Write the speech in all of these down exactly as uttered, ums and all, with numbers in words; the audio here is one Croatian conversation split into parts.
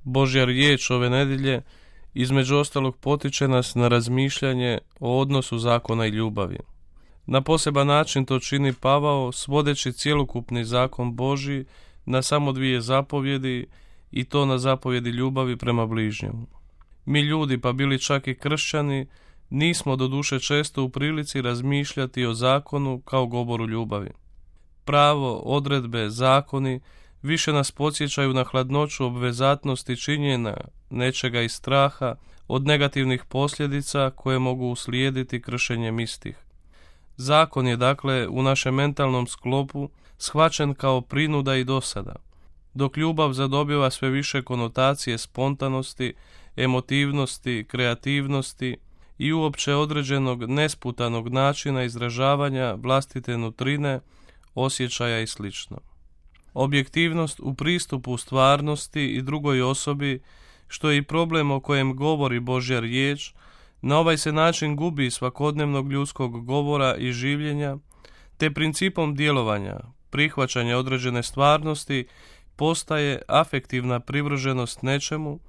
Božja riječ ove nedjelje između ostalog potiče nas na razmišljanje o odnosu zakona i ljubavi. Na poseban način to čini Pavao, svodeći cjelokupni zakon Božji na samo dvije zapovjedi, i to na zapovjedi ljubavi prema bližnjemu. Mi ljudi, pa bili čak i kršćani, nismo doduše često u prilici razmišljati o zakonu kao govoru ljubavi. Pravo, odredbe, zakoni više nas podsjećaju na hladnoću obvezatnosti činjenja nečega iz straha od negativnih posljedica koje mogu uslijediti kršenjem istih. Zakon je dakle u našem mentalnom sklopu shvaćen kao prinuda i dosada, dok ljubav zadobiva sve više konotacije spontanosti, emotivnosti, kreativnosti i uopće određenog nesputanog načina izražavanja vlastite nutrine, osjećaja i sl. Objektivnost u pristupu stvarnosti i drugoj osobi, što je i problem o kojem govori Božja riječ, na ovaj se način gubi svakodnevnog ljudskog govora i življenja, te principom djelovanja, prihvaćanja određene stvarnosti, postaje afektivna privrženost nečemu,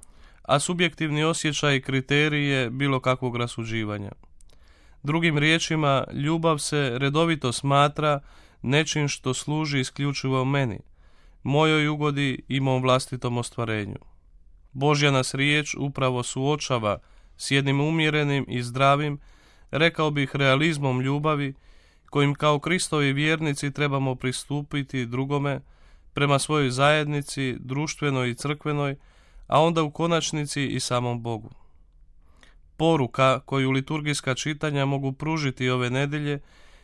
a subjektivni osjećaj i kriterije bilo kakvog rasuđivanja. Drugim riječima, ljubav se redovito smatra nečim što služi isključivo meni, mojoj ugodi i mom vlastitom ostvarenju. Božja nas riječ upravo suočava s jednim umjerenim i zdravim, rekao bih realizmom ljubavi, kojim kao Kristovi vjernici trebamo pristupiti drugome, prema svojoj zajednici, društvenoj i crkvenoj, a onda u konačnici i samom Bogu. Poruka koju liturgijska čitanja mogu pružiti ove nedjelje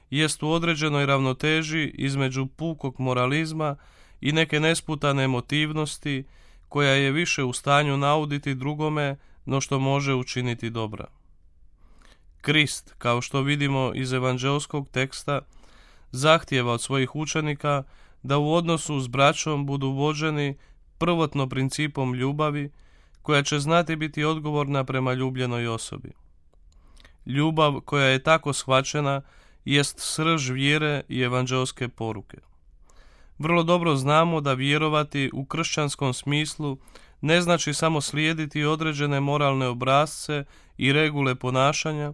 jest u određenoj ravnoteži između pukog moralizma i neke nesputane emotivnosti koja je više u stanju nauditi drugome no što može učiniti dobra. Krist, kao što vidimo iz evanđeoskog teksta, zahtijeva od svojih učenika da u odnosu s braćom budu vođeni prvotno principom ljubavi, koja će znati biti odgovorna prema ljubljenoj osobi. Ljubav koja je tako shvaćena jest srž vjere i evanđeoske poruke. Vrlo dobro znamo da vjerovati u kršćanskom smislu ne znači samo slijediti određene moralne obrasce i regule ponašanja,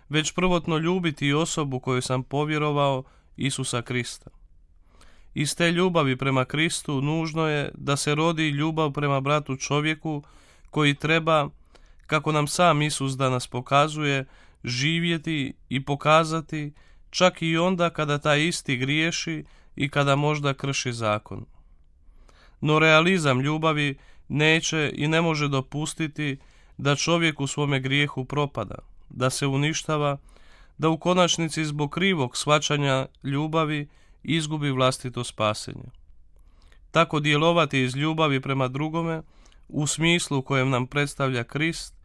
već prvotno ljubiti osobu koju sam povjerovao, Isusa Krista. Iz te ljubavi prema Kristu nužno je da se rodi ljubav prema bratu čovjeku koji treba, kako nam sam Isus danas pokazuje, živjeti i pokazati čak i onda kada taj isti griješi i kada možda krši zakon. No realizam ljubavi neće i ne može dopustiti da čovjek u svome grijehu propada, da se uništava, da u konačnici zbog krivog shvaćanja ljubavi izgubi vlastito spasenje. Tako djelovati iz ljubavi prema drugome, u smislu kojem nam predstavlja Krist,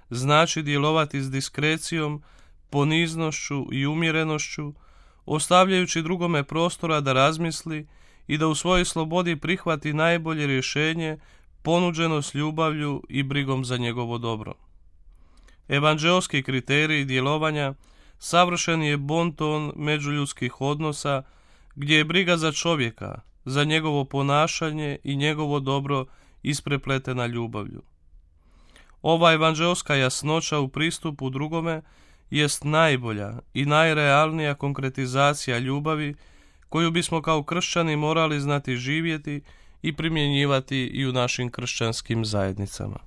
znači djelovati s diskrecijom, poniznošću i umjerenošću, ostavljajući drugome prostora da razmisli i da u svojoj slobodi prihvati najbolje rješenje ponuđeno s ljubavlju i brigom za njegovo dobro. Evanđeoski kriterij djelovanja savršen je bonton međuljudskih odnosa, gdje je briga za čovjeka, za njegovo ponašanje i njegovo dobro isprepletena ljubavlju. Ova evanđeoska jasnoća u pristupu drugome jest najbolja i najrealnija konkretizacija ljubavi koju bismo kao kršćani morali znati živjeti i primjenjivati i u našim kršćanskim zajednicama.